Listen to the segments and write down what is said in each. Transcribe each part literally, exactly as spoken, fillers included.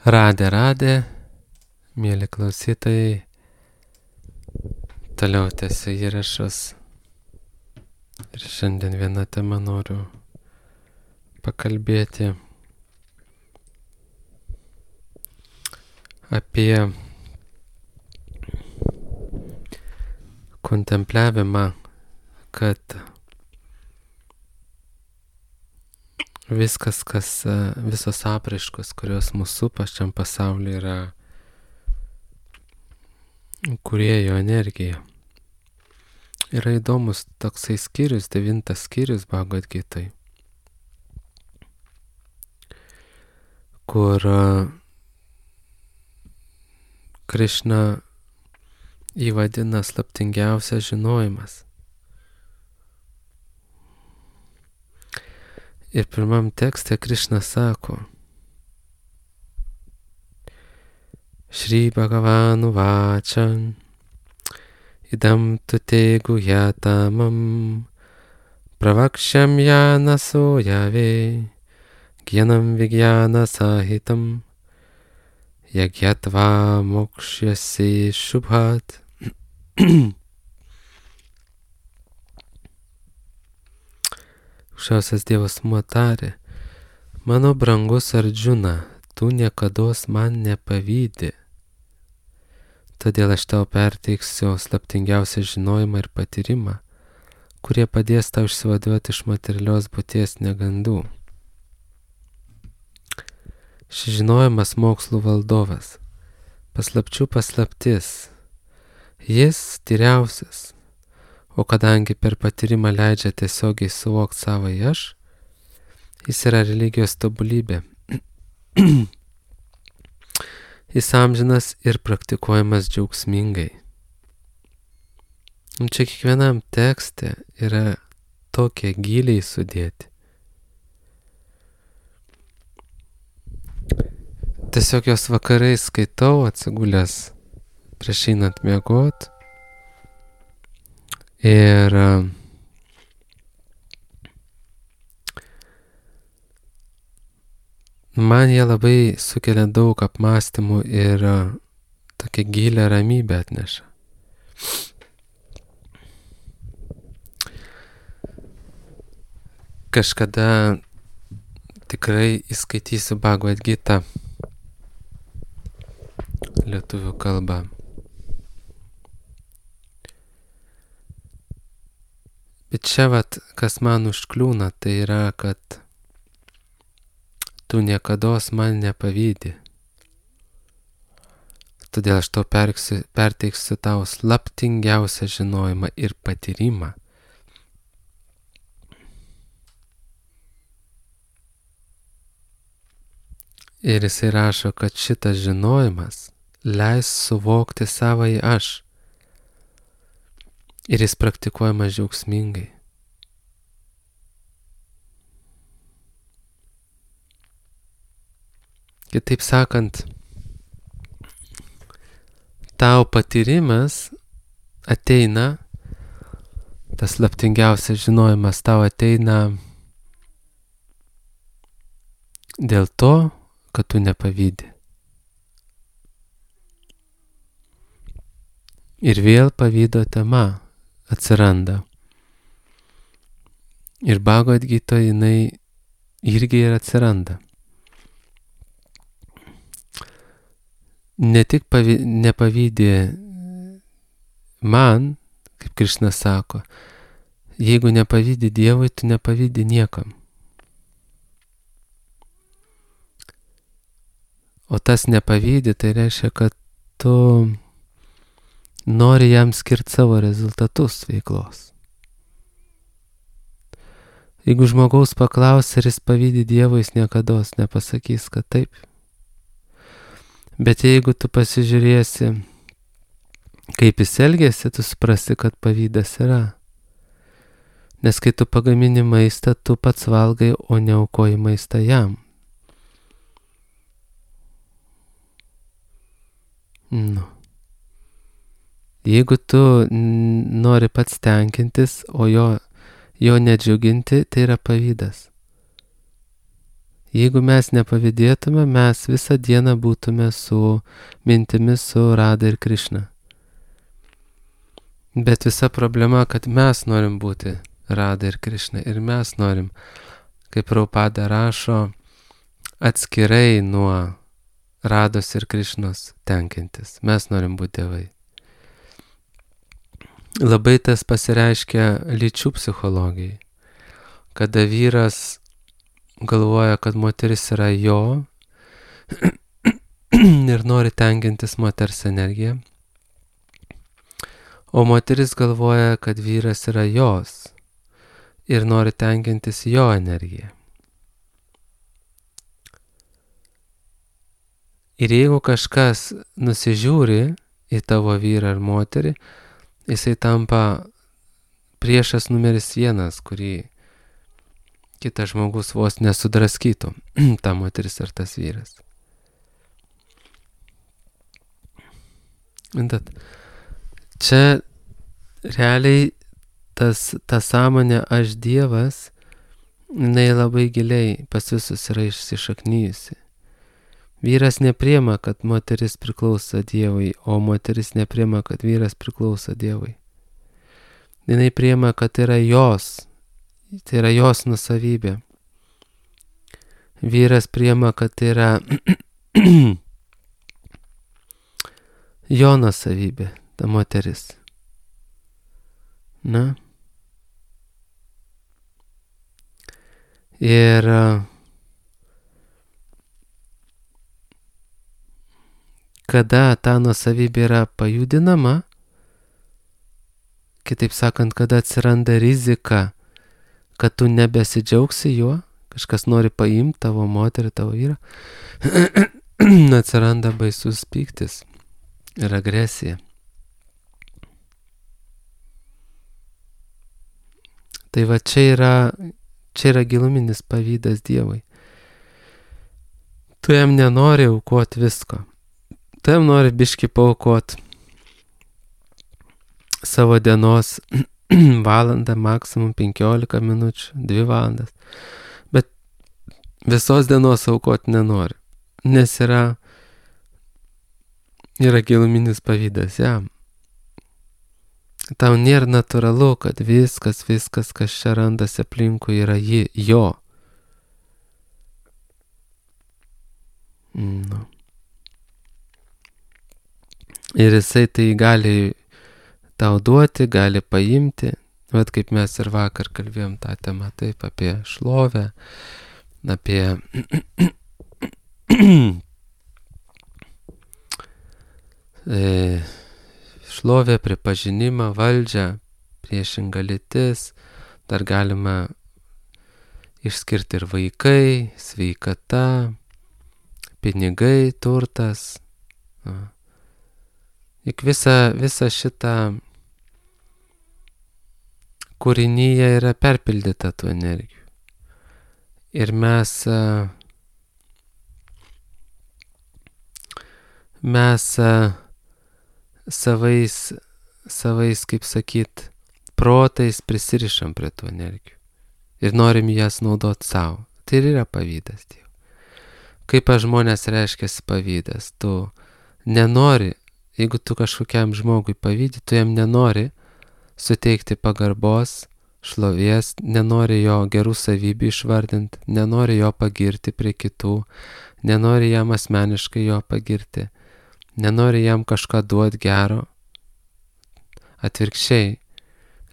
Radė, radė, mėly klausytojai, toliau tęsiu įrašus ir šiandien vieną temą noriu pakalbėti apie kontempliavimą, kad viskas, kas, visos apraiškos, kurios mūsų supa šiam pasaulyje, yra kūrėjo energija. Yra įdomus toksai skyrius, devintas skyrius Bhagavad Gitai, kur Krišna įvadina slaptingiausias žinojimas. Ir pirmam tekste Krišna sako: Shri Bhagavanu Vachan idam tute guhyatamam pravaksham yana soyave gyanam vigyana sahitam yagyatva mokshyasi shubhat. Aukščiausias Dievas tarė: mano brangus Ardžuna, tu niekados man nepavydi, todėl aš tau perteiksiu slaptingiausią žinojimą ir patyrimą, kurie padės tau išsivaduoti iš materialios būties negandų. Šis žinojimas mokslų valdovas, paslapčių paslaptis, jis tyriausias. O kadangi per patyrimą leidžia tiesiogiai suvokti savąjį aš, jis yra religijos tobulybė. Jis amžinas ir praktikuojamas džiaugsmingai. Ir čia kiekvienam tekste yra tokie giliai sudėti. Tiesiog jos vakarais skaitau atsigulęs prieš einant miegot. Ir man jie labai sukelia daug apmąstymų ir tokią gilią ramybę atneša. Kažkada tikrai įskaitysiu Bhagavad Gitą lietuvių kalbą. Bet čia vat, kas man užkliūna, tai yra, kad tu niekados man nepavydi. Todėl aš tau perksiu, perteiksiu tau slaptingiausią žinojimą ir patyrimą. Ir jisai rašo, kad šitas žinojimas leis suvokti savąjį aš. Ir jis praktikuojamas džiaugsmingai. Kitaip sakant, tau patyrimas ateina, tas slaptingiausias žinojimas tau ateina dėl to, kad tu nepavydi. Ir vėl pavydo tema atsiranda. Ir Bhagavad Gitoje jinai irgi ir atsiranda. Ne tik pavy, nepavydė man, kaip Krišna sako, jeigu nepavydė Dievui, tu nepavydė niekam. O tas nepavydė, tai reiškia, kad tu nori jam skirti savo rezultatus veiklos. Jeigu žmogaus paklaus, ar jis pavydi Dievui, jis niekados nepasakys, kad taip. Bet jeigu tu pasižiūrėsi, kaip jis elgėsi, tu suprasi, kad pavydas yra. Nes kai tu pagamini maistą, tu pats valgai, o ne aukoji maistą jam. Nu. Jeigu tu nori pats tenkintis, o jo, jo nedžiuginti, tai yra pavydas. Jeigu mes nepavydėtume, mes visą dieną būtume su mintimis su Rada ir Krišna. Bet visa problema, kad mes norim būti Rada ir Krišna ir mes norim, kaip Prabhupada rašo, atskirai nuo Rados ir Krišnos tenkintis. Mes norim būti dievai. Labai tas pasireiškia lyčių psichologijai, kada vyras galvoja, kad moteris yra jo ir nori tenkintis moters energiją, o moteris galvoja, kad vyras yra jos ir nori tenkintis jo energiją. Ir jeigu kažkas nusižiūri į tavo vyrą ar moterį, jisai tampa priešas numeris vienas, kurį kitas žmogus vos nesudraskytų, ta moteris ar tas vyras. Bet čia realiai tas, ta sąmonė aš Dievas, jinai labai giliai pas visus yra išsišaknyjusi. Vyras nepriima, kad moteris priklauso Dievui, o moteris nepriima, kad vyras priklauso Dievui. Jinai priima, kad tai yra jos, tai yra jos nusavybė. Vyras priima, kad tai yra jo nusavybė, ta moteris. Na? Ir kada ta nusavybė yra pajudinama, kitaip sakant, kada atsiranda rizika, kad tu nebesidžiaugsi juo, kažkas nori paimti tavo moterį, tavo vyrą, atsiranda baisus pyktis ir agresija. Tai va čia yra, čia yra giluminis pavydas Dievui. Tu jam nenori aukoti visko. Tu jam nori biškį paaukoti savo dienos valandą, maksimum penkiolika minučių, dvi valandas. Bet visos dienos aukoti nenori, nes yra, yra giluminis pavydas jam. Tau nėra natūralu, kad viskas, viskas, kas čia randasi aplinkui, yra ji, jo. Nu. Ir jisai tai gali tau duoti, gali paimti. Vat kaip mes ir vakar kalbėjom tą temą, taip, apie šlovę, apie e, šlovę, pripažinimą, valdžią, priešinga lytis, dar galima išskirti ir vaikai, sveikata, pinigai, turtas. Juk visa, visa šita kūrinyje yra perpildyta tų energijų. Ir mes, mes savais, savais, kaip sakyt, protais prisirišam prie tų energijų. Ir norim jas naudoti savo. Tai ir yra pavydas Dievo. Kaip žmonės reiškiasi pavydas? Tu nenori, jeigu tu kažkokiam žmogui pavydi, tu jam nenori suteikti pagarbos, šlovės, nenori jo gerų savybių išvardinti, nenori jo pagirti prie kitų, nenori jam asmeniškai jo pagirti, nenori jam kažką duoti gero. Atvirkščiai,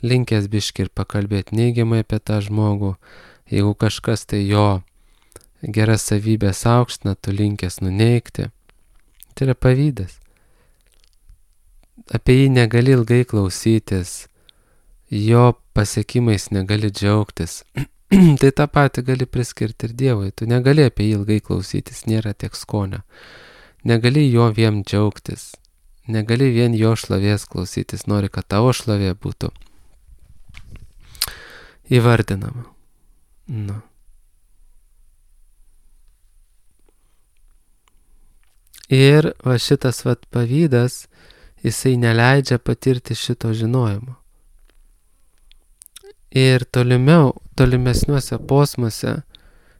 linkęs biškį ir pakalbėti neigiamai apie tą žmogų, jeigu kažkas tai jo geras savybės aukština, tu linkęs nuneigti. Tai yra pavydas. Apie jį negali ilgai klausytis, jo pasiekimais negali džiaugtis. Tai tą patį gali priskirti ir Dievui. Tu negali apie jį ilgai klausytis, nėra tiek skonio. Negali jo vien džiaugtis. Negali vien jo šlovės klausytis. Nori, kad tavo šlovė būtų įvardinama. Nu. Ir va šitas vat pavydas, jisai neleidžia patirti šito žinojimo. Ir tolimiau, tolimesniuose posmuose,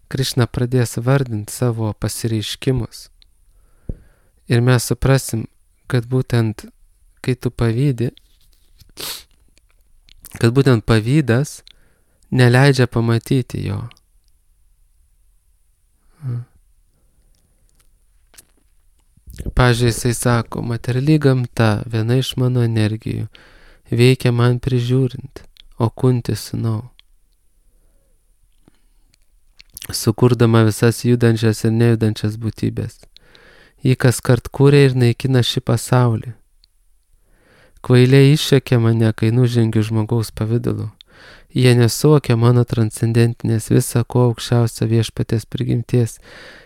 Krišna pradės vardinti savo pasireiškimus. Ir mes suprasim, kad būtent kai tu pavydi, kad būtent pavydas neleidžia pamatyti jo. Pavyzdžiui, jisai sako, materiali gamta, viena iš mano energijų, veikia man prižiūrint, o kunti sūnau. Sukurdama visas judančias ir nejudančias būtybės. Jį kas kart kūrė ir naikina šį pasaulį. Kvailiai iššekė mane, kai nužengiu žmogaus pavidalu. Jie nesuvokia mano transcendentinės visa ko aukščiausio viešpaties prigimties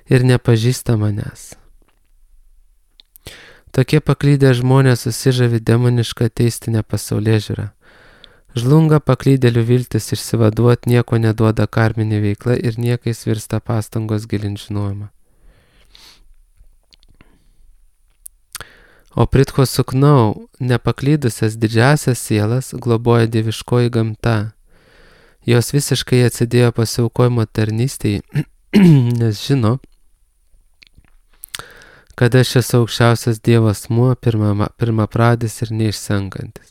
ir nepažįsta manęs. Tokie paklydę žmonės susižavi demonišką teistinę pasaulėžiūrą. Žlunga paklydėlių viltis išsivaduot, nieko neduoda karminė veikla ir niekais virsta pastangos gilint žinojimą. O Pritcho Suknau, nepaklydusias didžiasias sielas, globoja dieviškoji gamta. Jos visiškai atsidėjo pasiaukojimo tarnystėje, nes žino, kad aš esu aukščiausias Dievo asmuo, pirma, pirmapradis ir neišsenkantis.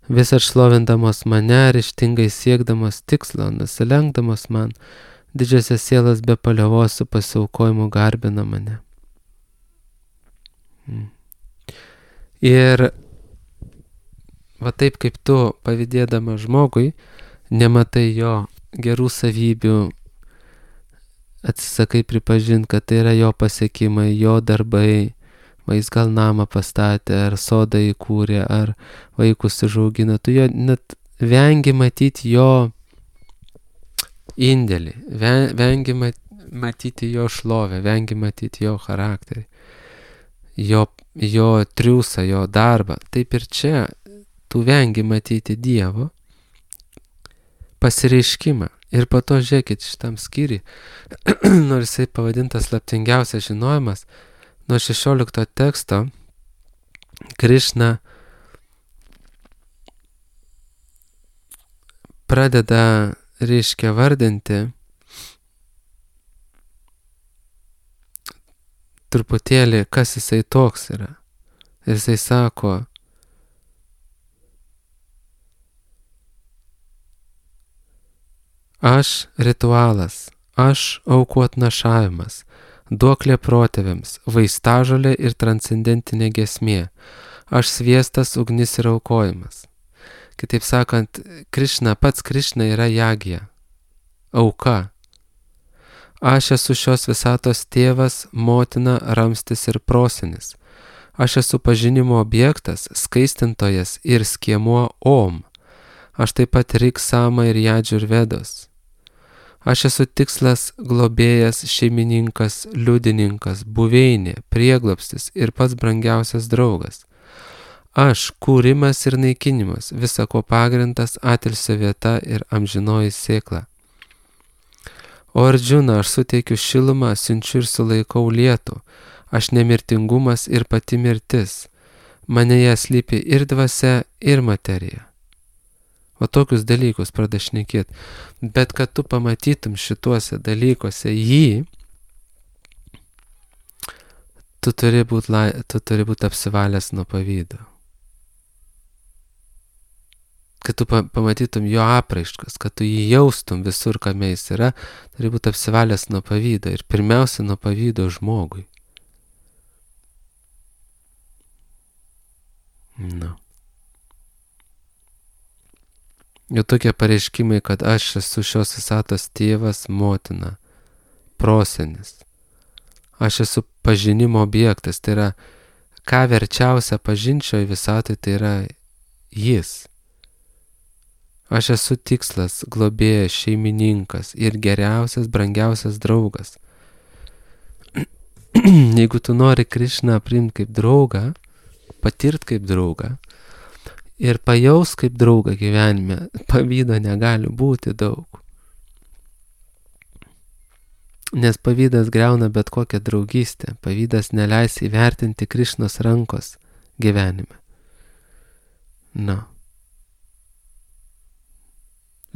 Vis atšlovindamos mane, ryžtingai siekdamos tikslo, nusilenkdamos man, didžiosios sielos be paliovos su pasiaukojimu garbina mane. Ir va taip kaip tu, pavydėdama žmogui, nematai jo gerų savybių, atsisakai pripažinti, kad tai yra jo pasiekimai, jo darbai, va jis gal namą pastatė, ar sodą įkūrė, ar vaikus užaugino, tu jo net vengi matyti jo indėlį, vengi matyti jo šlovę, vengi matyti jo charakterį, jo, jo triūsą, jo darbą. Taip ir čia tu vengi matyti Dievo pasireiškimą. Ir po to žiūrėkit šitam skyriui, nors jisai pavadintas slaptingiausias žinojimas, nuo šešiolikto teksto Krišna pradeda, reiškia, vardinti truputėlį, kas jisai toks yra. Ir jisai sako, aš ritualas, aš aukų atnašavimas, duoklė protėviams, vaistažolė ir transcendentinė giesmė, aš sviestas, ugnis ir aukojimas. Kitaip sakant, Krišna, pats Krišna yra jagija, auka. Aš esu šios visatos tėvas, motina, ramstis ir prosenis. Aš esu pažinimo objektas, skaistintojas ir skiemuo Om. Aš taip pat Riksama ir Jadžurvedos. Aš esu tikslas, globėjas, šeimininkas, liudininkas, buveinė, prieglobstis ir pats brangiausias draugas. Aš kūrimas ir naikinimas, visako pagrindas, atilsio vieta ir amžinoji sėkla. O Ardžuna, aš suteikiu šilumą, siunčiu ir sulaikau lietų. Aš nemirtingumas ir pati mirtis. Manėje slypi ir dvasia, ir materija. O tokius dalykus pradeda šnekėti. Bet kad tu pamatytum šituose dalykuose jį, tu turi būti lai, tu turi būt apsivalęs nuo pavydo. Kad tu pamatytum jo apraiškas, kad tu jį jaustum visur, kame jis yra, turi būti apsivalęs nuo pavydo. Ir pirmiausia, nuo pavydo žmogui. Nu. Jau tokie pareiškimai, kad aš esu šios visatos tėvas, motina, prosenis. Aš esu pažinimo objektas, tai yra, ką verčiausia pažinčioje visatoje, tai yra jis. Aš esu tikslas, globėjas, šeimininkas ir geriausias, brangiausias draugas. Jeigu tu nori Krišną priimti kaip draugą, patirti kaip draugą, ir pajaus kaip draugą gyvenime, pavydo negali būti daug. Nes pavydas griauna bet kokią draugystę, pavydas neleis įvertinti Krišnos rankos gyvenime. Na.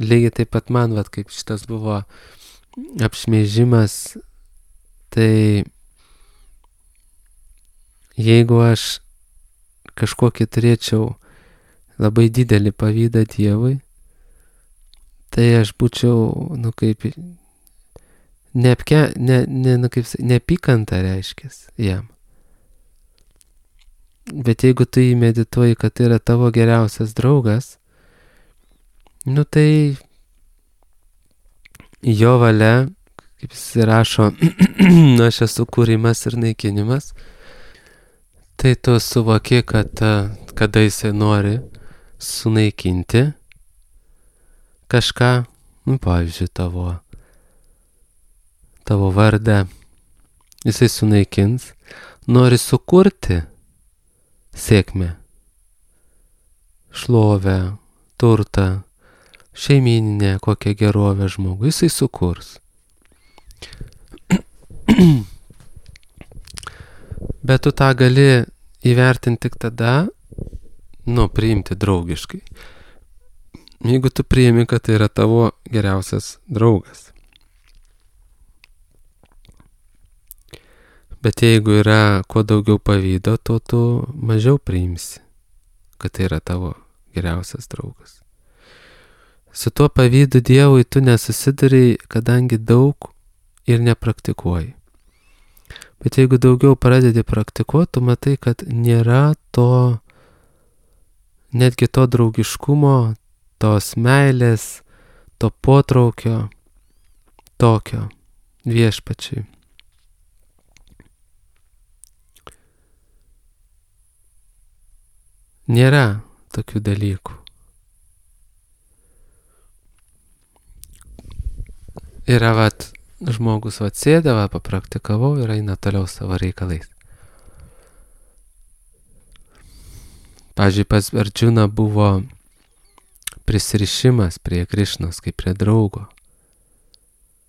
lygiai taip pat man, vat, kaip šitas buvo apšmeižimas, tai jeigu aš kažkokį turėčiau labai didelį pavydą Dievui, tai aš būčiau, nu kaip, neapke, ne, ne, nu kaip, neapykanta reiškės jam. Bet jeigu tu jį medituoji, kad tai yra tavo geriausias draugas, nu tai jo valia, kaip jis rašo, aš esu kūrimas ir naikinimas, tai tu suvoki, kad kada jisai nori sunaikinti kažką, nu, pavyzdžiui, tavo, tavo vardą, jisai sunaikins, nori sukurti sėkmę, šlovę, turtą, šeimyninę, kokią gerovę žmogui, jisai sukurs. Bet tu tą gali įvertinti tik tada, nu, priimti draugiškai. Jeigu tu priimi, kad tai yra tavo geriausias draugas. Bet jeigu yra kuo daugiau pavydo, to tu mažiau priimsi, kad tai yra tavo geriausias draugas. Su tuo pavydu Dievui tu nesusiduri, kadangi daug ir nepraktikuoji. Bet jeigu daugiau pradedi praktikuoti, tu matai, kad nėra to, netgi to draugiškumo, tos meilės, to potraukio, tokio viešpačiui. Nėra tokių dalykų. Yra, vat, žmogus vat sėdė, vat, papraktikavau ir eina toliau savo reikalais. Pavyzdžiui, pas Arjuna buvo prisirišimas prie Krišnos kaip prie draugo.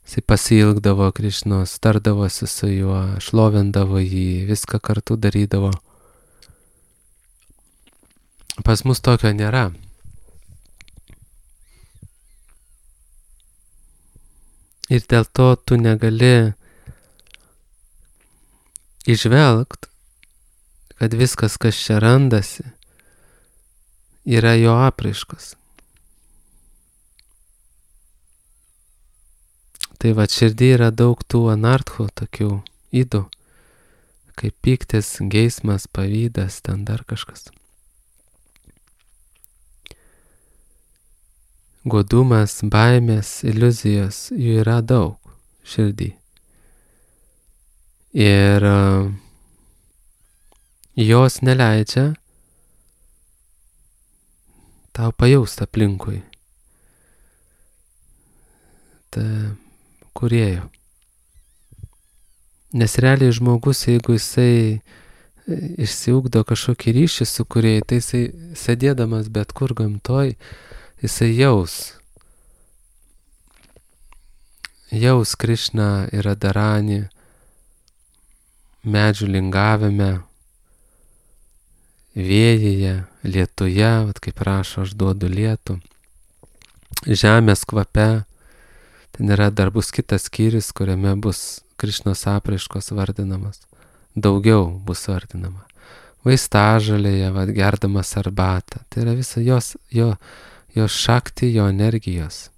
Jisai pasiilgdavo Krišnos, tardavosi su juo, šlovindavo jį, viską kartu darydavo. Pas mus tokio nėra. Ir dėl to tu negali įžvelgt, kad viskas, kas čia randasi, yra jo apraiškos. Tai va, širdį yra daug tų anarchų, tokių ydų, kaip pyktis, geismas, pavydas, ten dar kažkas. Godumas, baimės, iliuzijos, jų yra daug širdį. Ir uh, jos neleidžia tau pajausti aplinkui ta kūrėjo. Nes realiai žmogus, jeigu jisai išsiugdo kažkokį ryšį su kūrėjai, tai jisai sėdėdamas bet kur gamtoj, jisai jaus, jaus Krišną ir Radharanį medžių lingavime, vėjyje, lietuje, vat kaip rašo, aš duodu lietų, žemės kvape. Ten yra dar bus kitas skyrius, kuriame bus Krišnos apraiškos vardinamas. Daugiau bus vardinama. Vaistažolėje, vat gerdamas arbatą. Tai yra visa jos, jo, jos šakti, jo energijos.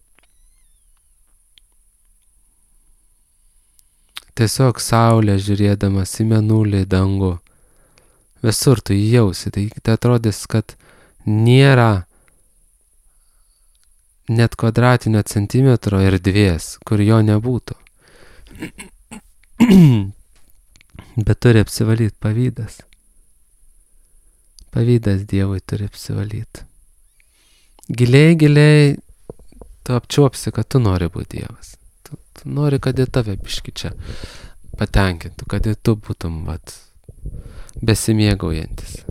Tiesiog saulė žiūrėdamas į mėnulį, dangų. Visur tu jį jausi. Tai, tai atrodys, kad nėra net kvadratinio centimetro erdvės, kur jo nebūtų. Bet turi apsivalyti pavydas. Pavydas Dievui turi apsivalyti. Giliai, giliai tu apčiuopsi, kad tu nori būti Dievas. Tu, tu nori, kad į tave biški čia patenkintų, kad į tu būtum vat, besimėgaujantis.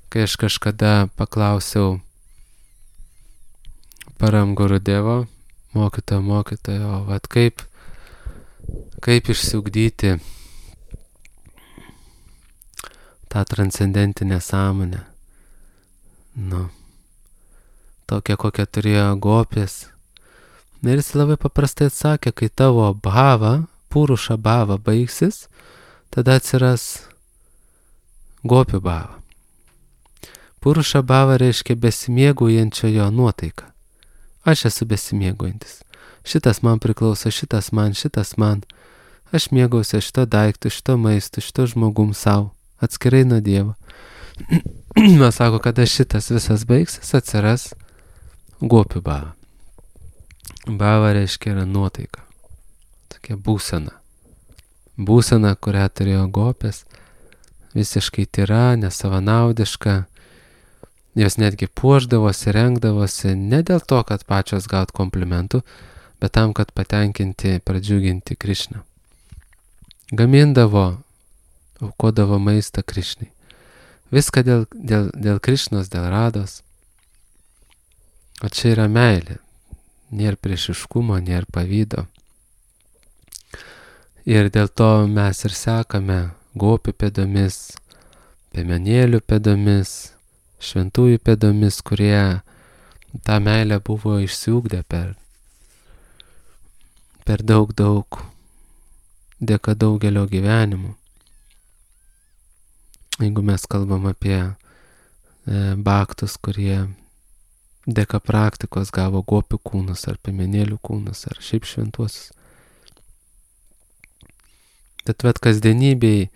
Kai aš kažkada paklausiau Param Gurudevo, mokytojo, mokytojo, vat kaip, kaip išsiugdyti tą transcendentinę sąmonę. Nu, tokia kokią turėjo gopės. Ir jis labai paprastai atsakė, kai tavo bhava, puruša bhava baigsis, tada atsiras gopių bhava. Puruša bhava reiškia besimėgaujančiojo nuotaika. Aš esu besimėgaujantis. Šitas man priklauso, šitas man, šitas man. Aš mėgausiu šito daiktų, šito maisto, šito žmogum savo, atskirai nuo Dievo. Mes sako, kada šitas visas baigsis, atsiras gopių bhava. Bhava reiškia yra nuotaika. Tokia būsena. Būsena, kurią turėjo gopės, visiškai tyra, nesavanaudiška. Jos netgi puošdavosi, rengdavosi ne dėl to, kad pačios gaut komplimentų, bet tam, kad patenkinti, pradžiuginti Krišną. Gamindavo, aukodavo maistą Krišnai. Viską dėl, dėl, dėl Krišnos, dėl Rados. O čia yra meilė. Nėra priešiškumo, nėra pavydo. Ir dėl to mes ir sekame gopių pėdomis, piemenėlių pėdomis, šventųjų pėdomis, kurie tą meilę buvo išsiugdę per, per daug, daug, dėka daugelio gyvenimų. Jeigu mes kalbam apie e, baktus, kurie dėka praktikos gavo gopių kūnus, ar piemenėlių kūnus, ar šiaip šventuosius. Tad vat kasdienybėj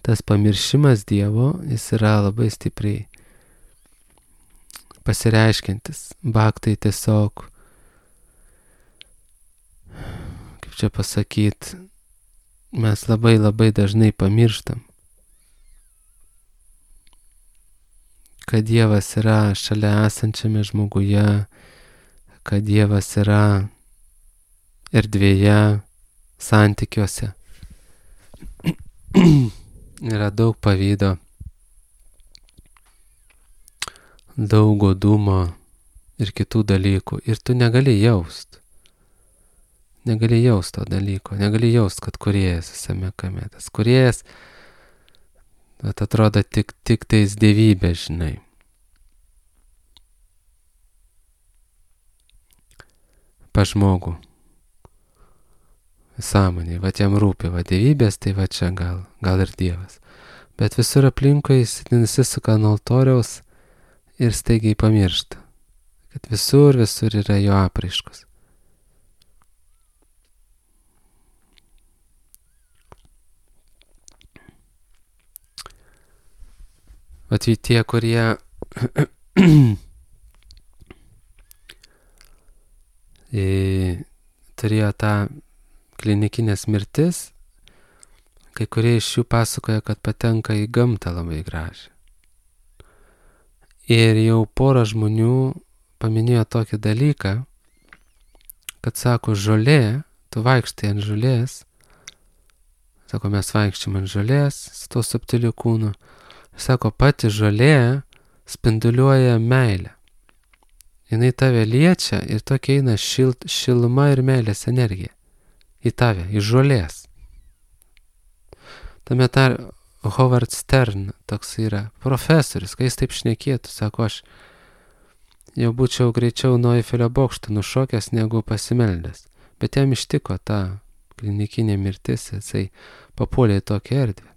tas pamiršimas Dievo, jis yra labai stipriai pasireiškiantis. Baktai tiesiog, kaip čia pasakyt, mes labai labai dažnai pamirštam, kad Dievas yra šalia esančiame žmoguje, kad Dievas yra erdvėje, santykiuose. Yra daug pavydo, daug godumo ir kitų dalykų. Ir tu negali jaust. Negali jaust to dalyko. Negali jaust, kad kūrėjas visame kame. Tas kūrėjas, bet atrodo tik, tik tais dievybė, žinai. Pa žmogų. Sąmonė, va jam rūpi, va dievybės, tai va čia gal, gal ir Dievas. Bet visur aplinkui jis nusisuka nuo altoriaus ir staigiai pamiršta, kad visur, visur yra jo apraiškos. Vat tie, kurie turėjo tą klinikinės mirtis, kai kurie iš jų pasakoja, kad patenka į gamtą labai gražią. Ir jau pora žmonių paminėjo tokį dalyką, kad sako, žolė, tu vaikštai ant žolės, sako, mes vaikščiam ant žolės, su to subtiliu kūnu, sako, pati žolė spinduliuoja meilę. Jinai tave liečia ir tokia eina šil, šiluma ir meilės energija. Į tave, į žolės. Tame tar Howard Stern toks yra profesorius, kai jis taip šnekėtų, sako, aš jau būčiau greičiau nuo Eifelio bokšto nušokęs negu pasimeldęs. Bet jam ištiko ta klinikinė mirtis, jisai papuolė į tokią erdvę.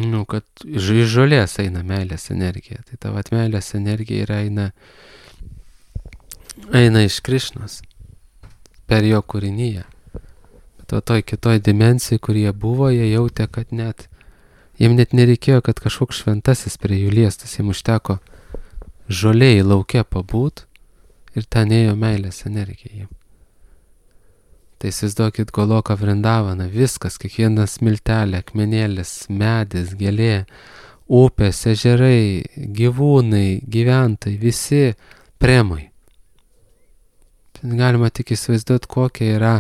Nu, kad iš žolės eina meilės energija. Tai tavo meilės energija yra eina eina iš Krišnos per jo kūrinyje. Bet o toj kitoj dimensijai, kur jie buvo, jie jautė, kad net jiem net nereikėjo, kad kažkoks šventasis prie jų liestas, jiem užteko žolėjai lauke pabūt ir ten ėjo meilės energija. Tai įsivaizduokit Goloką Vrindavaną, viskas, kiekvienas smiltelė, akmenėlis, medis, gėlė, upės, ežerai, gyvūnai, gyventojai, visi premai. Galima tik įsivaizduoti, kokia yra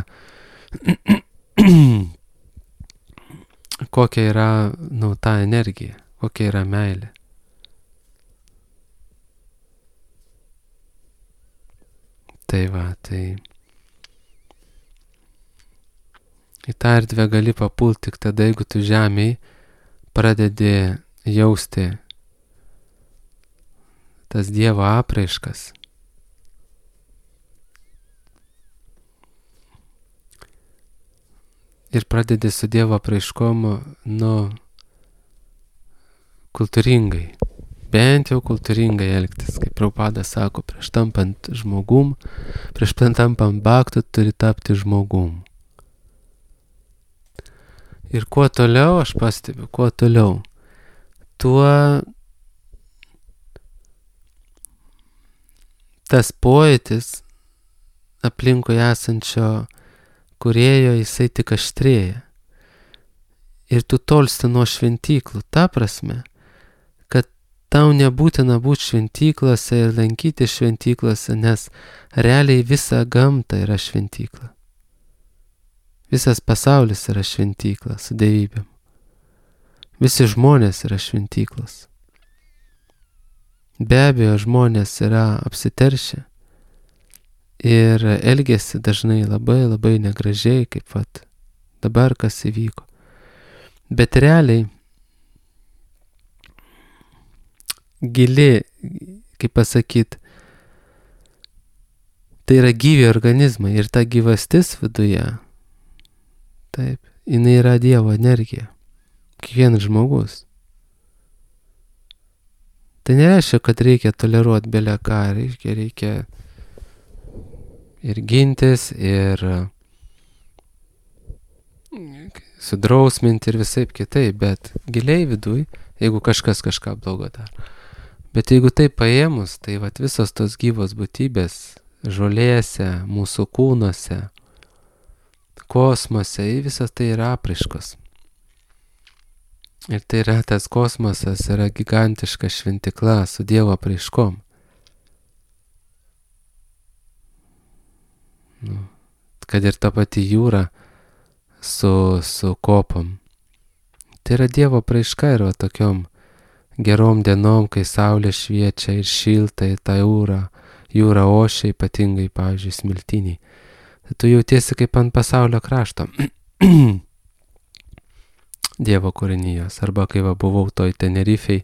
kokia yra, nu, ta energija, kokia yra meilė. Tai va, tai į tą erdvę gali papult tik tada, jeigu tu žemėj pradedi jausti tas Dievo apraiškas. Ir pradedi su Dievo apraiškom, nu, kultūringai. Bent jau kultūringai elgtis, kaip Prabhupada sako, prieš tampant žmogum, prieš tampant bhaktu turi tapti žmogum. Ir kuo toliau, aš pastebiu, kuo toliau, tuo tas pojūtis aplinkui esančio kūrėjo, jisai tik aštrėja. Ir tu tolsti nuo šventyklų, ta prasme, kad tau nebūtina būti šventyklose ir lankyti šventyklose, nes realiai visa gamta yra šventykla. Visas pasaulis yra šventykla su dievybėm. Visi žmonės yra šventyklos. Be abejo, žmonės yra apsiteršę ir elgiasi dažnai labai labai negražiai, kaip vat dabar kas įvyko. Bet realiai gili, kaip pasakyt, tai yra gyvi organizmai ir ta gyvastis viduje, taip, jinai yra Dievo energija. Kiekvienas žmogus. Tai nereiškia, kad reikia toleruoti belę ką, reikia, reikia ir gintis, ir sudrausminti ir visaip kitaip, bet giliai viduj, jeigu kažkas kažką blogo daro. Bet jeigu tai paėmus, tai vat visos tos gyvos būtybės žolėse, mūsų kūnuose, kosmose, visas tai yra apraiškos. Ir tai yra tas kosmosas, yra gigantiška šventikla su Dievo apraiškom. Nu, kad ir ta pati jūra su, su kopom. Tai yra Dievo apraiška ir va tokiom gerom dienom, kai saulė šviečia ir šilta į tą jūrą, jūra ošia, ypatingai, pavyzdžiui, smiltiniai. Tai tu jautiesi kaip ant pasaulio krašto. Dievo kūrinijos. Arba kai va buvau toj Tenerifei,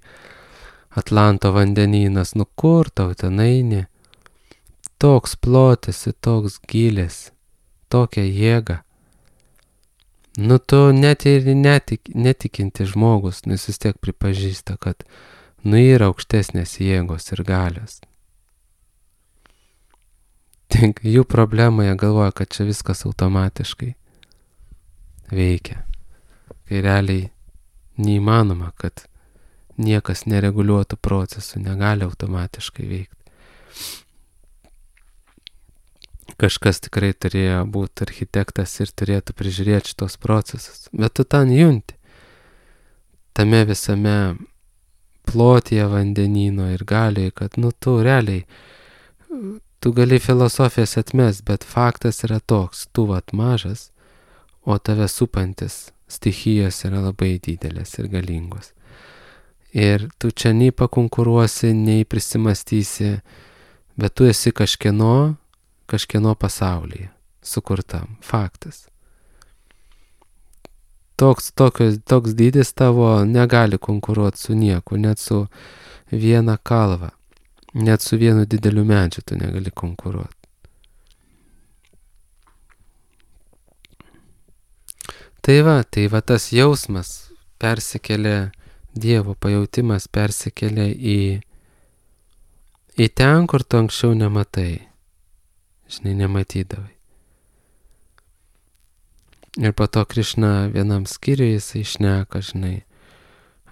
Atlanto vandenynas, nu kur tau ten eini? Toks plotis, toks gilis, tokia jėga. Nu tu net ir netik, netikinti žmogus, nu jis vis tiek pripažįsta, kad nu yra aukštesnės jėgos ir galios. Tik jų problema, jie galvoja, kad čia viskas automatiškai veikia. Kai realiai neįmanoma, kad niekas nereguliuotų procesų, negali automatiškai veikti. Kažkas tikrai turėjo būti architektas ir turėtų prižiūrėti šitos procesus. Bet tu ten junti. Tame visame plotyje vandenyno ir galiai, kad nu tu realiai, tu gali filosofijas atmest, bet faktas yra toks, tu vat mažas, o tave supantis stichijos yra labai didelės ir galingos. Ir tu čia nei pakonkuruosi, nei prisimastysi, bet tu esi kažkieno, kažkieno pasaulyje sukurtam. Faktas. Toks, tokios, toks dydis tavo negali konkuruoti su nieku, net su viena kalva, net su vienu dideliu medžiu tu negali konkuruoti. Tai va, tai va tas jausmas persikelia, Dievo pajautimas persikelia į, į ten, kur tu anksčiau nematai. Žinai, nematydavai. Ir po to Krišna vienam skyriui jisai šneka, žinai,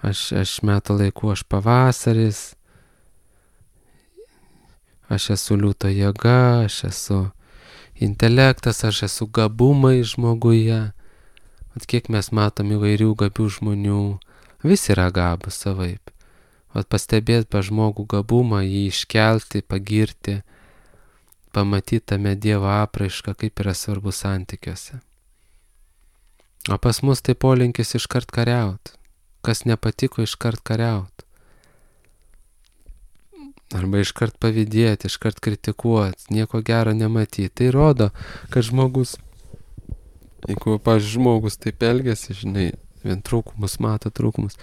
aš, aš metų laiku, aš pavasaris, aš esu liūto jėga, aš esu intelektas, aš esu gabumai žmoguje. Vat kiek mes matom įvairių gabių žmonių, visi yra gabūs savaip. Vat pastebėti pa žmogų gabumą, jį iškelti, pagirti, pamatyti tame Dievo apraišką, kaip yra svarbu santykiuose. O pas mus tai polinkis iškart kariaut. Kas nepatiko, iškart kariaut. Arba iškart pavydėti, iškart kritikuoti, nieko gero nematyti. Tai rodo, kad žmogus, jeigu, pavyzdžiui, žmogus taip elgiasi, žinai, vien trūkumus mato trūkumus,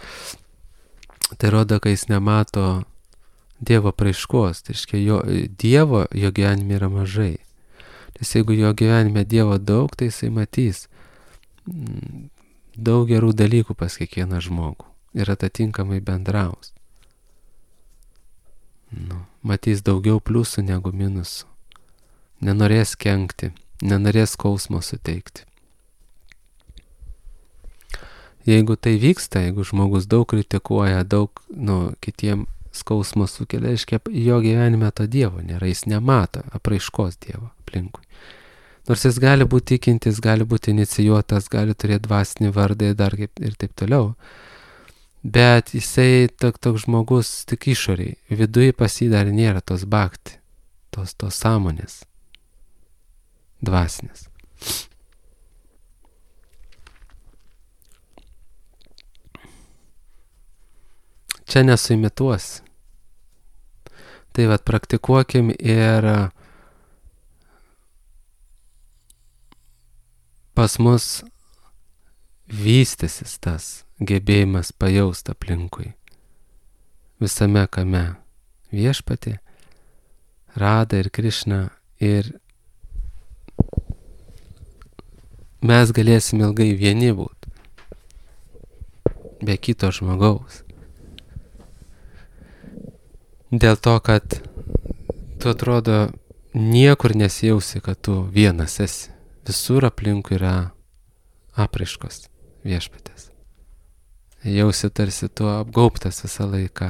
tai rodo, kad jis nemato Dievo apraiškos, tai reiškia, jo, Dievo jo gyvenime yra mažai. Nes jeigu jo gyvenime Dievo daug, tai jisai matys daug gerų dalykų pas kiekvieną žmogų ir atitinkamai bendraus. Nu, matys daugiau pliusų negu minusų. Nenorės kenkti, nenorės skausmo suteikti. Jeigu tai vyksta, jeigu žmogus daug kritikuoja, daug nu, kitiem skausmo sukelia, reiškia, jo gyvenime to Dievo nėra, jis nemato apraiškos Dievo aplinkui. Nors jis gali būti tikintis, gali būti inicijuotas, gali turėti dvasinį vardą ir, dar, ir taip toliau. Bet jisai toks tok žmogus tik išoriai, viduje pas jį dar nėra tos bhakti, tos, tos sąmonės dvasinės. Čia nesuimituosi. Tai vat praktikuokim ir pas mus vystysis tas gebėjimas pajaust aplinkui. Visame kame Viešpatį, Radha ir Krišna, ir mes galėsim ilgai vieni būt, be kito žmogaus. Dėl to, kad tu atrodo niekur nesijausi, kad tu vienas esi. Visur aplinkui yra apraiškos Viešpatės. Jausi tarsi tu apgaubtas visą laiką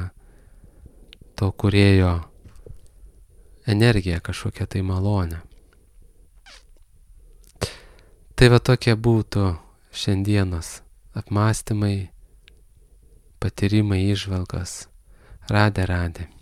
to kūrėjo energija, kažkokia tai malonė. Tai va tokie būtų šiandienos apmąstymai, patyrimai, įžvalgos. Radhe, Radhe.